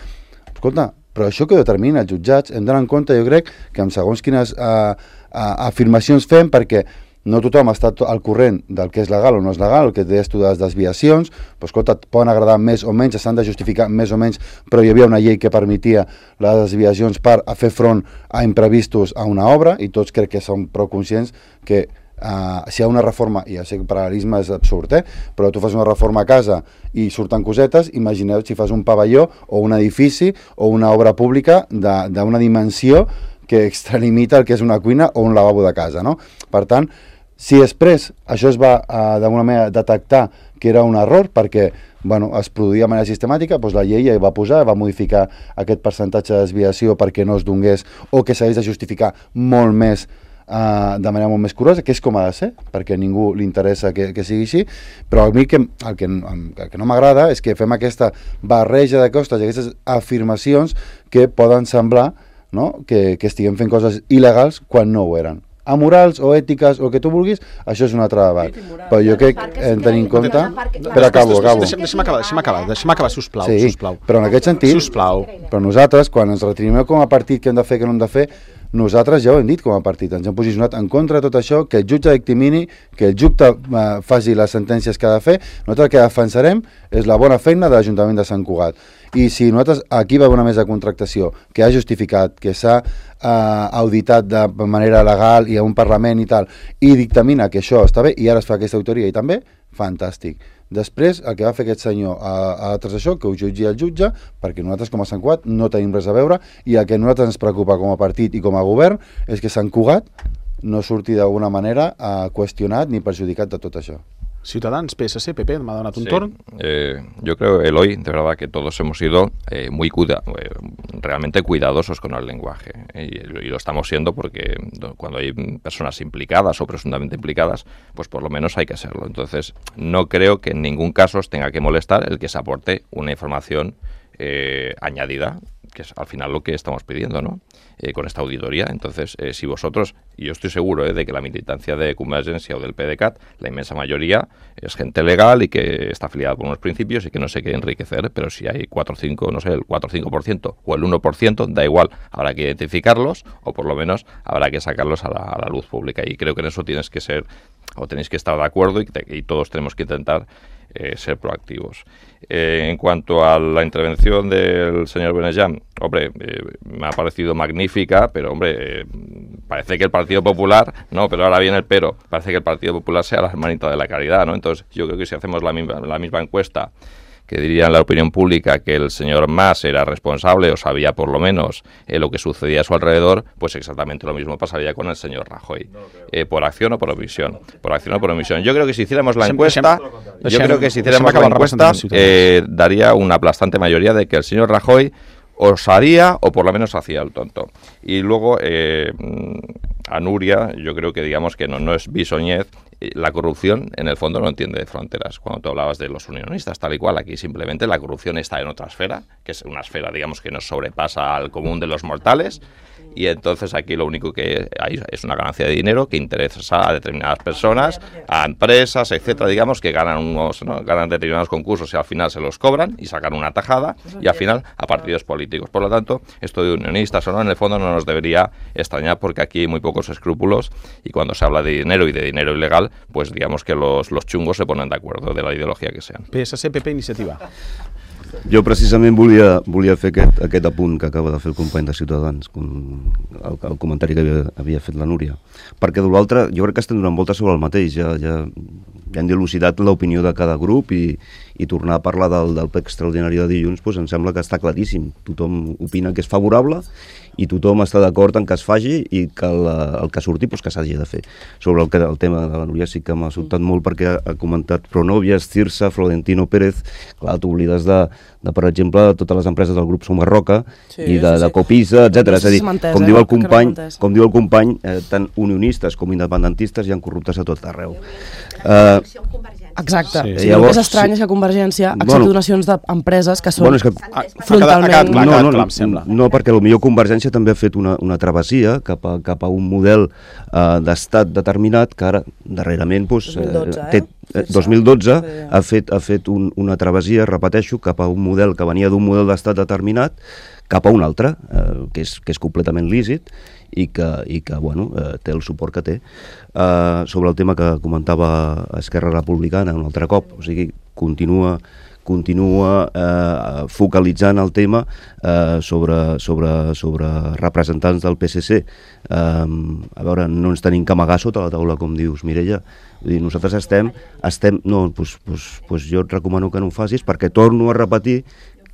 Escolta, però això que determina els jutjats, hem d'anar en compte, jo crec, que amb segons quines uh, uh, afirmacions fem, perquè no tothom està al corrent del que és legal o no és legal, el que deies tu de les desviacions, però escolta, et poden agradar més o menys, s'han de justificar més o menys, però hi havia una llei que permetia les desviacions per a fer front a imprevistos a una obra, i tots crec que som prou conscients que Uh, si hi ha una reforma, i ja sé que el paral·lelisme és absurd, eh? Però tu fas una reforma a casa i surten cosetes, imagineu si fas un pavelló o un edifici o una obra pública d'una dimensió que extralimita el que és una cuina o un lavabo de casa, no? Per tant, si després això es va uh, d'alguna manera detectar que era un error perquè bueno, es produïa de manera sistemàtica, doncs la llei ja va posar, va modificar aquest percentatge de desviació perquè no es donés o que s'hagués de justificar molt més Uh, de manera molt més curosa, que és com ha de ser, perquè a ningú li interessa que, que sigui així, però a mi que, el, que, el que no m'agrada és que fem aquesta barreja de costes i aquestes afirmacions que poden semblar, no?, que, que estiguem fent coses il·legals quan no ho eren. Amorals o ètiques o el que tu vulguis, això és un altre debat. Però jo crec que hem de tenir en compte... Però acabo, acabo. Deixa'm acabar, deixa'm acabar, deixa'm acabar, sisplau, sí, sisplau. Però en aquest sentit, sisplau. Però nosaltres, quan ens retribuïm com a partit que hem de fer, que no hem de fer, nosaltres ja ho hem dit com a partit, ens hem posicionat en contra de tot això, que el jutge dictimini, que el jutge eh, faci les sentències que ha de fer. Nosaltres el que defensarem és la bona feina de l'Ajuntament de Sant Cugat. I si nosaltres, aquí va haver una mesa de contractació que ha justificat, que s'ha eh, auditat de manera legal i a un Parlament i tal, i dictamina que això està bé, i ara es fa aquesta auditoria i també, fantàstic. Després, el que va fer aquest senyor a, a altres això, que ho jutgi el jutge, perquè nosaltres com a Sant Cugat no tenim res a veure, i el que a nosaltres ens preocupa com a partit i com a govern és que Sant Cugat no surti d'alguna manera uh, qüestionat ni perjudicat de tot això. Ciudadanos, P S C, P P, me ha donat un sí. torn. Eh, yo creo, Eloy, de verdad que todos hemos sido eh, muy cuida eh, realmente cuidadosos con el lenguaje. Eh, y, y lo estamos siendo porque cuando hay personas implicadas o presuntamente implicadas, pues por lo menos hay que serlo. Entonces, no creo que en ningún caso os tenga que molestar el que se aporte una información eh, añadida, que es al final lo que estamos pidiendo, ¿no? Eh, con esta auditoría. Entonces, eh, si vosotros, y yo estoy seguro eh, de que la militancia de Convergencia o del P D C A T, la inmensa mayoría es gente legal y que está afiliada por unos principios y que no se quiere enriquecer, pero si hay cuatro o cinco, no sé, el cuatro o cinco por ciento o el uno por ciento, da igual, habrá que identificarlos o por lo menos habrá que sacarlos a la, a la luz pública. Y creo que en eso tienes que ser, o tenéis que estar de acuerdo y, te, y todos tenemos que intentar eh, ser proactivos. Eh, en cuanto a la intervención del señor Benejam, hombre, eh, me ha parecido magnífica, pero hombre, eh, parece que el Partido Popular, no, pero ahora viene el pero, parece que el Partido Popular sea la hermanita de la caridad, ¿no? Entonces yo creo que si hacemos la misma, la misma encuesta, que diría en la opinión pública que el señor Mas era responsable o sabía por lo menos eh, lo que sucedía a su alrededor, pues exactamente lo mismo pasaría con el señor Rajoy. Eh, por acción o por omisión. Por acción o por omisión. Yo creo que si hiciéramos la encuesta, yo creo que si hiciéramos la encuesta, eh, daría una aplastante mayoría de que el señor Rajoy os haría o por lo menos hacía el tonto. Y luego eh, a Nuria, yo creo que digamos que no, no es bisoñez. La corrupción en el fondo no entiende de fronteras. Cuando tú hablabas de los unionistas tal y cual, aquí simplemente la corrupción está en otra esfera, que es una esfera digamos que nos sobrepasa al común de los mortales. Y entonces aquí lo único que hay es una ganancia de dinero que interesa a determinadas personas, a empresas, etcétera, digamos, que ganan unos, ¿no? ganan determinados concursos y al final se los cobran y sacan una tajada y al final a partidos políticos. Por lo tanto, esto de unionistas o no, en el fondo no nos debería extrañar porque aquí hay muy pocos escrúpulos y cuando se habla de dinero y de dinero ilegal, pues digamos que los, los chungos se ponen de acuerdo de la ideología que sean. P S C, P P, Iniciativa. Jo precisament volia, volia fer aquest, aquest apunt que acaba de fer el company de Ciutadans, el, el comentari que havia, havia fet la Núria, perquè de l'altre jo crec que estem donant voltes sobre el mateix, ja, ja, ja hem dilucidat l'opinió de cada grup i, i tornar a parlar del, del ple extraordinari de dilluns, doncs em sembla que està claríssim, tothom opina que és favorable i tothom està d'acord en que es faci i que el, el que surti doncs que s'hagi de fer. Sobre el, que, el tema de la Núria sí que m'ha sobtat molt perquè ha, ha comentat Pronovias, Cirsa, Florentino Pérez, clar, t'oblides de, de, per exemple, de totes les empreses del grup Somarroca sí, i de, sí, sí. de Copisa, etcètera. És a dir, com diu el company, com diu el company eh, tant unionistes com independentistes hi ha corruptes a tot arreu. Eh, Exacte. Sí. Sí. Llavors, el que és estrany és que Convergència accepti bueno, donacions d'empreses que són bueno, és que, frontalment... Ha quedat clar, no, no, clar, no, em sembla. No, perquè potser Convergència també ha fet una, una travessia cap a, cap a un model uh, d'estat determinat que ara, darrerament, doncs, dos mil dotze, eh, té, eh, dos mil dotze sí. ha fet, ha fet un, una travessia, repeteixo, cap a un model que venia d'un model d'estat determinat cap a un altre, eh, que, és, que és completament lícit i que, i que bueno, eh, té el suport que té. Eh, sobre el tema que comentava Esquerra Republicana un altre cop, o sigui, continua, continua eh, focalitzant el tema eh, sobre, sobre, sobre representants del P S C. Eh, a veure, no ens tenim que amagar sota la taula, com dius, Mireia. Vull dir, nosaltres estem... estem no, doncs, doncs, doncs jo et recomano que no ho facis perquè torno a repetir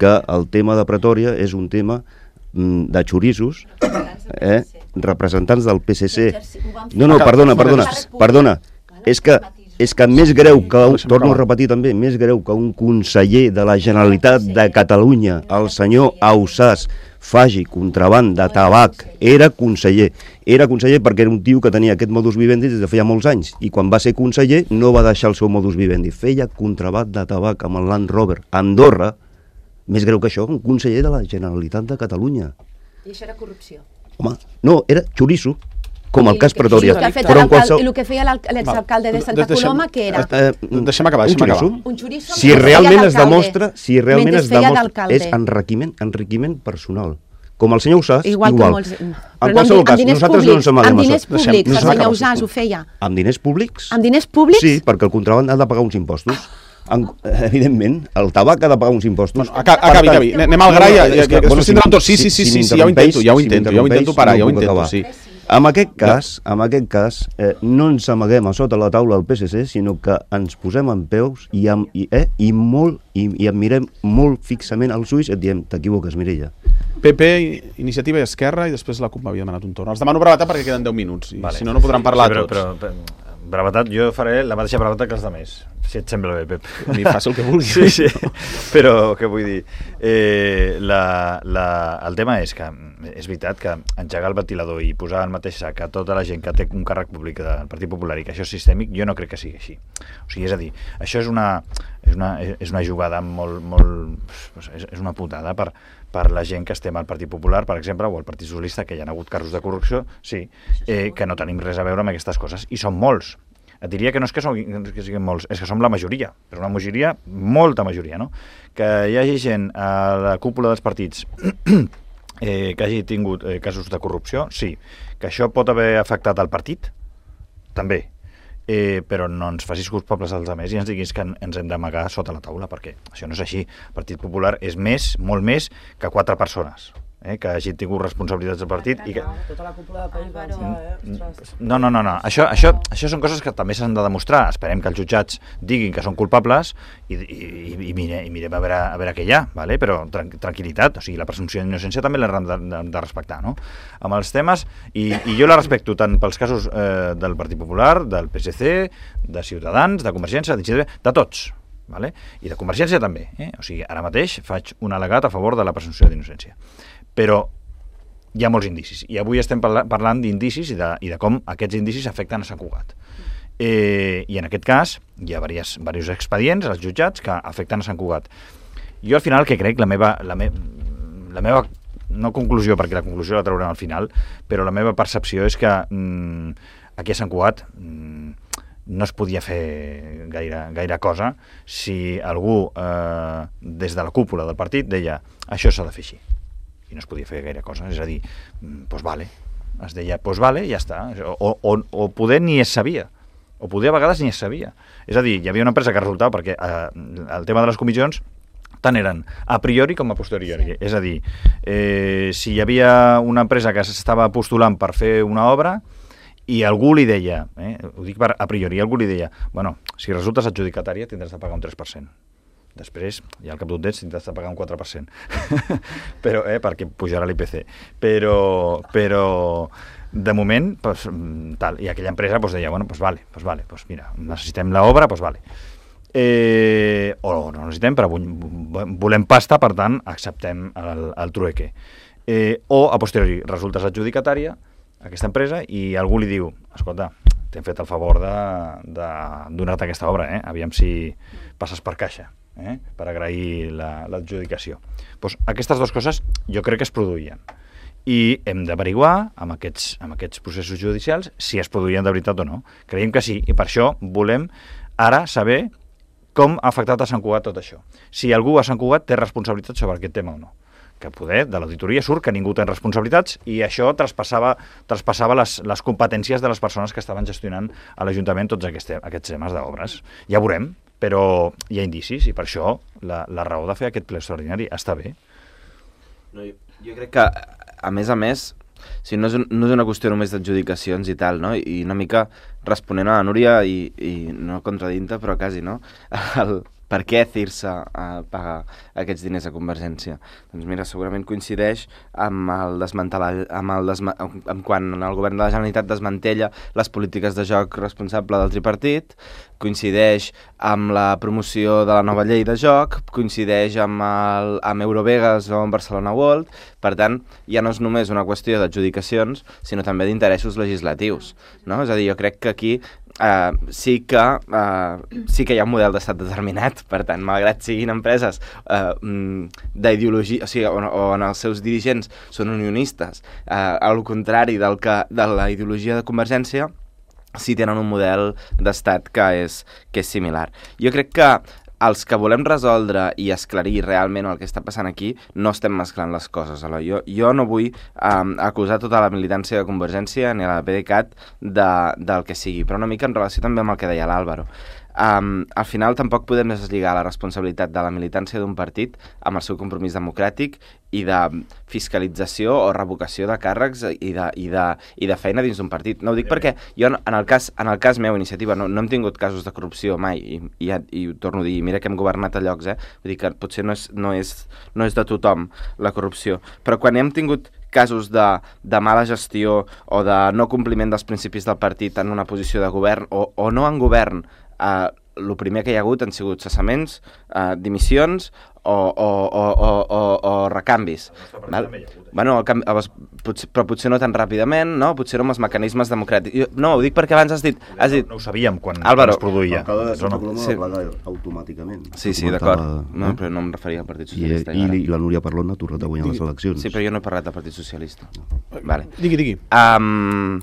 que el tema de Pretòria és un tema de xorissos, eh, representants del P S C. No, no, perdona, perdona, perdona. És que, és que més greu que, un, torno a repetir també, més greu que un conseller de la Generalitat de Catalunya, el senyor Ausàs, faci contraband de tabac, era conseller. Era conseller perquè era un tio que tenia aquest modus vivendi des de feia molts anys i quan va ser conseller no va deixar el seu modus vivendi. Feia contraband de tabac amb el Land Rover. Andorra, més greu que això, un conseller de la Generalitat de Catalunya. I això era corrupció? Home, no, era xoriço, com el cas Pretòria. Però qualsevol... I el que feia l'exalcalde de Santa Coloma, què era? Deixem acabar, deixem acabar. Un xoriço si realment es demostra, si realment es demostra, és enriquiment, enriquiment personal. Com el senyor Ausàs, igual. igual. Molts... En qualsevol cas, nosaltres no ens amaguem amb diners públics, el senyor Ausàs ho feia. Amb diners públics? Amb diners públics? Sí, perquè el contraband ha de pagar uns impostos. En, evidentment, el tabac ha de pagar uns impostos. Bueno, acabi, acabi, anem al gra i ja, ja, ja, bueno, si, sí, sí, sí, sí, sí, ja ho intento, ja ho intento, ja ho intento parar, ja ho intento, sí. En aquest cas, en aquest cas eh, no ens amaguem a sota la taula del P S C, sinó que ens posem en peus i, amb, i, eh, i, molt, i, i em mirem molt fixament als ulls i et diem, t'equivoques, Mireia. P P, Iniciativa i Esquerra, i després la CUP m'havia demanat un torn. Els demano brevetat perquè queden deu minuts, i vale. Si no, no podran parlar sí, però, tots. Però, però, brevetat, jo faré la mateixa brevetat que els altres, si et sembla bé, Pep. Ni fas el que vulguis. Sí, sí, però què vull dir? Eh, la, la, el tema és que és veritat que engegar el ventilador i posar el mateix sac a tota la gent que té un càrrec públic del Partit Popular i que això és sistèmic, jo no crec que sigui així. O sigui, és a dir, això és una, és una, és una jugada molt, molt... És, és una putada per, per la gent que estem al Partit Popular, per exemple, o al Partit Socialista, que hi ha hagut casos de corrupció, sí, eh, que no tenim res a veure amb aquestes coses, i són molts. Et diria que no és que, som, que siguin molts, és que som la majoria, però una majoria, molta majoria, no? Que hi hagi gent a la cúpula dels partits eh, que hagi tingut eh, casos de corrupció, sí. Que això pot haver afectat al partit, també. Eh, però no ens facis culpables als altres i ens diguis que ens hem d'amagar sota la taula, perquè això no és així. El Partit Popular és més, molt més, que quatre persones. Eh, que hagi tingut responsabilitats del partit i que... Tota la cúpula de País Valencià, eh? No, no, no, no. Això, això, això són coses que també s'han de demostrar. Esperem que els jutjats diguin que són culpables i, i, i, mire, i mirem a veure, a veure què hi ha, vale? Però tran tranquil·litat, o sigui, la presumpció d'innocència també l'hem de, de, de respectar, no? Amb els temes, i, i jo la respecto tant pels casos eh, del Partit Popular, del P S C, de Ciutadans, de Convergència, de, de tots, vale? I de Convergència també, eh? O sigui, ara mateix faig un al·legat a favor de la presumpció d'innocència. Però hi ha molts indicis, i avui estem parla parlant d'indicis i, de, i de com aquests indicis afecten a Sant Cugat. Eh, I en aquest cas hi ha diversos, diversos expedients als jutjats que afecten a Sant Cugat. Jo al final que crec, la meva, la, me la meva no conclusió, perquè la conclusió la traurem al final, però la meva percepció és que mm, aquí a Sant Cugat mm, no es podia fer gaire, gaire cosa si algú eh, des de la cúpula del partit deia això s'ha de fer així. I no es podia fer gaire cosa, és a dir, doncs vale, es deia, doncs vale, ja està, o, o, o poder ni es sabia, o poder a vegades ni es sabia. És a dir, hi havia una empresa que resultava, perquè eh, el tema de les comissions tant eren a priori com a posteriori, sí. És a dir, eh, si hi havia una empresa que s'estava postulant per fer una obra i algú li deia, eh, ho dic per a priori, algú li deia, bueno, si resultes adjudicatària tindràs de pagar un tres per cent. Després, ja al cap d'un temps, tindràs de pagar un quatre per cent. però, eh, perquè pujarà l'I P C. Però, però de moment, pues, tal, i aquella empresa pues, deia, bueno, pues vale, pues vale, pues mira, necessitem l'obra, pues vale. Eh, o no necessitem, però volem pasta, per tant, acceptem el, el trueque. Eh, o, a posteriori, resultes adjudicatària, aquesta empresa, i algú li diu, escolta, t'hem fet el favor de, de donar-te aquesta obra, eh? Aviam si passes per caixa. Eh, per agrair l'adjudicació. La, pues aquestes dues coses jo crec que es produïen i hem d'averiguar amb, aquests, amb aquests processos judicials si es produïen de veritat o no. Creiem que sí, i per això volem ara saber com ha afectat a Sant Cugat tot això. Si algú a Sant Cugat té responsabilitat sobre aquest tema o no. Que poder, de l'auditoria surt que ningú té responsabilitats i això traspassava, traspassava les, les competències de les persones que estaven gestionant a l'Ajuntament tots aquests, aquests temes d'obres. Ja veurem, però hi ha indicis i per això la, la raó de fer aquest ple extraordinari està bé. No, jo, jo crec que, a més a més, si no, és un, no és una qüestió només d'adjudicacions i tal, no? I una mica responent a la Núria i, i no contradint-te, però quasi, no? El, per què Cirsa a pagar aquests diners a Convergència? Doncs mira, segurament coincideix amb el desmantelar, amb el desma, amb quan el govern de la Generalitat desmantella les polítiques de joc responsable del tripartit, coincideix amb la promoció de la nova llei de joc, coincideix amb, el, amb Eurovegas o amb Barcelona World, per tant, ja no és només una qüestió d'adjudicacions, sinó també d'interessos legislatius, no? És a dir, jo crec que aquí Uh, sí, que, uh, sí que hi ha un model d'estat determinat, per tant, malgrat siguin empreses uh, d'ideologia, o sigui, on, on els seus dirigents són unionistes, uh, al contrari del que, de la ideologia de Convergència, sí tenen un model d'estat que és, que és similar. Jo crec que els que volem resoldre i esclarir realment el que està passant aquí no estem mesclant les coses. Jo, jo no vull um, acusar tota la militància de Convergència ni a la PDeCAT de, del que sigui, però una mica en relació també amb el que deia l'Àlvaro. Um, al final tampoc podem deslligar la responsabilitat de la militància d'un partit amb el seu compromís democràtic i de fiscalització o revocació de càrrecs i de, i de, i de feina dins d'un partit. No ho dic perquè jo, en el cas, en el cas meu, Iniciativa, no, no hem tingut casos de corrupció mai, i, i, i ho torno a dir, mira que hem governat a llocs, eh? Vull dir que potser no és, no és, no és de tothom la corrupció, però quan hem tingut casos de, de mala gestió o de no compliment dels principis del partit en una posició de govern o, o no en govern, eh, el primer que hi ha hagut han sigut cessaments, eh, dimissions o, o, o, o, o, o recanvis. Val? Bueno, el canvi, potser, però potser no tan ràpidament, no? Potser no amb els mecanismes democràtics. Jo, no, ho dic perquè abans has dit... Has dit... No, no ho sabíem quan, Álvaro, quan es produïa. Cada de Santa no. Coloma Sí. va plegar automàticament. Sí, sí, d'acord. No, però no em referia al Partit I, Socialista. i, I la Núria Parlon ha tornat a guanyar les eleccions. Sí, però jo no he parlat del Partit Socialista. Vale. Digui, digui. Um,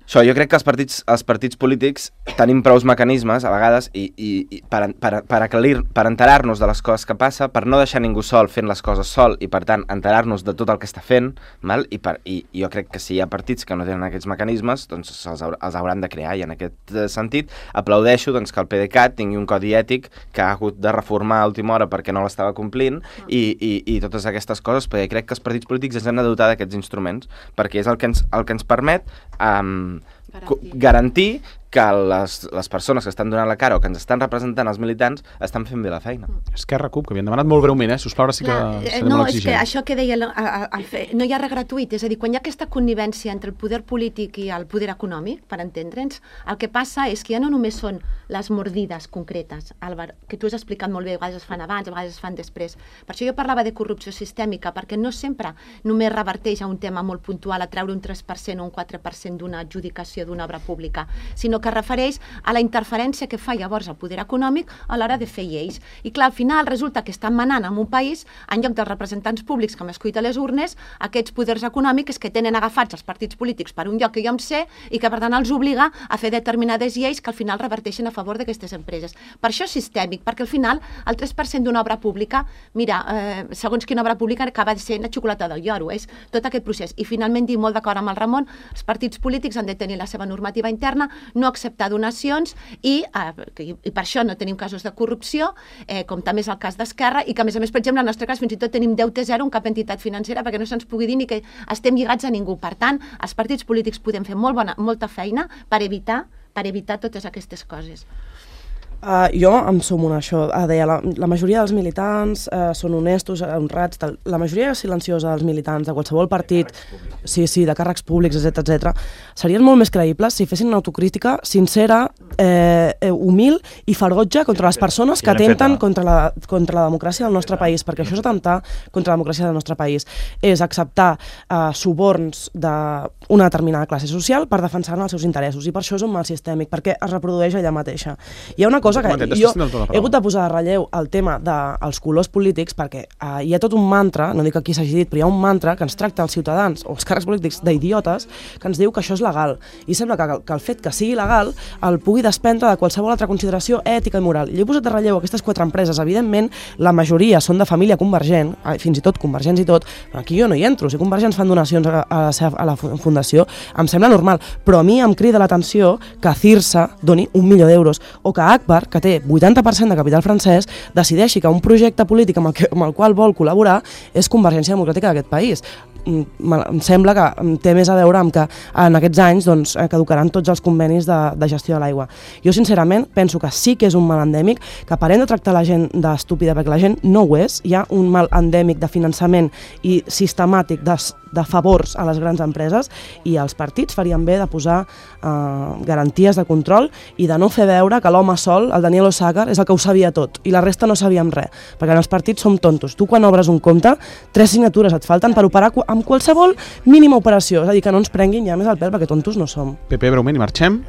això, jo crec que els partits, els partits polítics tenim prous mecanismes, a vegades, i, i, i per, per, per, aclarir, per enterar-nos de les coses que passa, per no deixar ningú sol fent les coses sol i, per tant, enterar-nos de tot el que està fent, val? I, per, i, i jo crec que si hi ha partits que no tenen aquests mecanismes, doncs els, haur, els hauran de crear, i en aquest sentit aplaudeixo doncs, que el PDeCAT tingui un codi ètic que ha hagut de reformar a última hora perquè no l'estava complint, i, i, i totes aquestes coses, perquè crec que els partits polítics ens hem de dotar d'aquests instruments, perquè és el que ens, el que ens permet um, garantir. garantir que les, les persones que estan donant la cara o que ens estan representant els militants estan fent bé la feina. Esquerra, CUP, que havien demanat molt breument, eh? Sisplau, ara sí que Clar, serem no, molt és que exigents. això que deia, el, el, el, fe- no hi ha res gratuït, és a dir, quan hi ha aquesta connivència entre el poder polític i el poder econòmic, per entendre'ns, el que passa és que ja no només són les mordides concretes, Álvar, que tu has explicat molt bé, a vegades es fan abans, a vegades es fan després. Per això jo parlava de corrupció sistèmica, perquè no sempre només reverteix a un tema molt puntual, a treure un tres per cent o un quatre per cent d'una adjudicació d'una obra pública, sinó que refereix a la interferència que fa llavors el poder econòmic a l'hora de fer lleis. I clar, al final resulta que estan manant en un país, en lloc dels representants públics que hem escollit a les urnes, aquests poders econòmics que tenen agafats els partits polítics per un lloc que jo em sé i que per tant els obliga a fer determinades lleis que al final reverteixen a favor d'aquestes empreses. Per això és sistèmic, perquè al final el tres per cent d'una obra pública, mira, eh, segons quina obra pública acaba de ser la xocolata del lloro, és tot aquest procés. I finalment, dir molt d'acord amb el Ramon, els partits polítics han de tenir la seva normativa interna, no acceptar donacions i, eh, i, i per això no tenim casos de corrupció, eh, com també és el cas d'Esquerra, i que a més a més, per exemple, en el nostre cas fins i tot tenim deute zero en cap entitat financera perquè no se'ns pugui dir ni que estem lligats a ningú. Per tant, els partits polítics podem fer molt bona, molta feina per evitar, per evitar totes aquestes coses. Uh, jo em sumo a això. Uh, deia, la, la majoria dels militants uh, són honestos, honrats, tal. La majoria silenciosa dels militants de qualsevol partit, sí, sí, de càrrecs públics, etcètera, etcètera, serien molt més creïbles si fessin una autocrítica sincera, eh, humil i ferotge contra les persones que atenten contra la, contra la democràcia del nostre país, perquè això és atemptar contra la democràcia del nostre país. És acceptar uh, suborns d'una determinada classe social per defensar els seus interessos, i per això és un mal sistèmic, perquè es reprodueix allà mateixa. Hi ha una cosa que jo he hagut de posar de relleu el tema dels colors polítics, perquè uh, hi ha tot un mantra, no dic que aquí s'hagi dit, però hi ha un mantra que ens tracta els ciutadans o els càrrecs polítics d'idiotes, que ens diu que això és legal, i sembla que, que el fet que sigui legal el pugui desprendre de qualsevol altra consideració ètica i moral. Jo he posat de relleu aquestes quatre empreses, evidentment la majoria són de família convergent, fins i tot convergents i tot, però aquí jo no hi entro, si convergents fan donacions a, a, la, a la fundació, em sembla normal, però a mi em crida l'atenció que Cirsa doni un milió d'euros, o que Agbar, que té vuitanta per cent de capital francès, decideixi que un projecte polític amb el, que, amb el qual vol col·laborar és Convergència Democràtica d'aquest país. Em sembla que té més a veure amb que en aquests anys doncs, caducaran tots els convenis de, de gestió de l'aigua. Jo sincerament penso que sí que és un mal endèmic, que parem de tractar la gent d'estúpida perquè la gent no ho és, hi ha un mal endèmic de finançament i sistemàtic de, de favors a les grans empreses, i els partits farien bé de posar eh, garanties de control i de no fer veure que l'home sol, el Daniel Osàcar, és el que ho sabia tot i la resta no sabíem res, perquè en els partits som tontos. Tu quan obres un compte, tres signatures et falten per operar amb qualsevol mínima operació, és a dir, que no ens prenguin ja més al pèl perquè tontos no som. Pepe, breument, i marxem.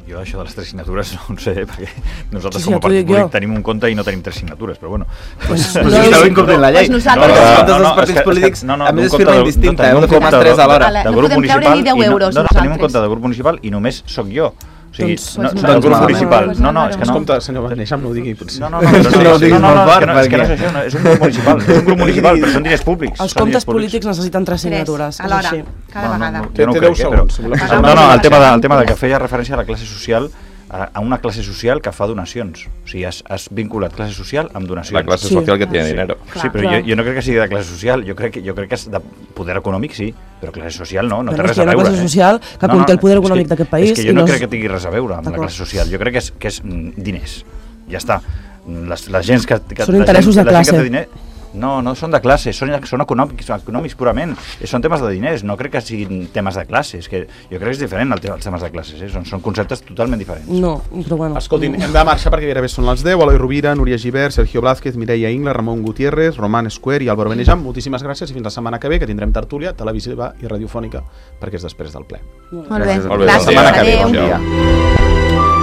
Jo això de les tres signatures no ho sé, perquè nosaltres Sí, sí, com a ja t'ho partit dic polític jo. tenim un compte i no tenim tres signatures, però bueno. Pues, Però no, si esteu incomplint la llei. Pues nosaltres- Perquè els No, comptes no, dels no, partits és que- polítics, no, no, a més, d'un és compte firma de- indistinta, no, heu de d'un fer les compte tres de- alhora. Ale, de no grup podem treure municipal ni deu i no- euros no, no, tenim un nosaltres. compte de grup municipal i només sóc jo. O sigui, Doncs, no, doncs no, malament. el grup Doncs municipal. malament. No, no, és que no. Escolta, senyor Van Neixam, no ho digui, potser. No, no, no, però no, No ho no, diguis no, molt no, fort, és que no, és que no perquè- és això, no, és un grup municipal, és un grup municipal, però són diners públics. Els són comptes diners públics. polítics necessiten tres signatures. Tres, alhora, és així. cada vegada. jo Té- no té crec, deu eh, segons, si però- voleu No, no, el tema, de, el tema de que feia referència a la classe social, a a una classe social que fa donacions. O sigui, has, has vinculat classe social amb donacions. La clase Sí. social que tiene Sí. dinero. Sí, però Clar. jo, jo no crec que sigui de classe social, jo crec, que, jo crec que és de poder econòmic, sí, però classe social no, no té Però és res que a hi ha una veure. classe eh? social que No, no, conté el poder és que- econòmic d'aquest país És que i jo no no és- crec que tingui res a veure amb la D'acord. classe social, jo crec que és, que és mm, diners, ja està. Les, la gent que, que, Són la interessos gent, de la gent que classe. té diner, No, no són de classes, són, són econòmics, econòmics purament. Són temes de diners, no crec que siguin temes de classes. Que jo crec que és diferent el tema, els temes de classes, eh? són, són conceptes totalment diferents. No, però bueno. Escoltin, hem de marxar perquè gairebé són les deu. Eloi Rovira, Núria Gibert, Sergio Blázquez, Mireia Ingla, Ramon Gutiérrez, Roman Square i Álvaro Benejam. Moltíssimes gràcies i fins la setmana que ve, que tindrem tertúlia televisiva i radiofònica perquè és després del ple. Molt bé, Molt bé. gràcies. La setmana que ve, Adéu. bon dia.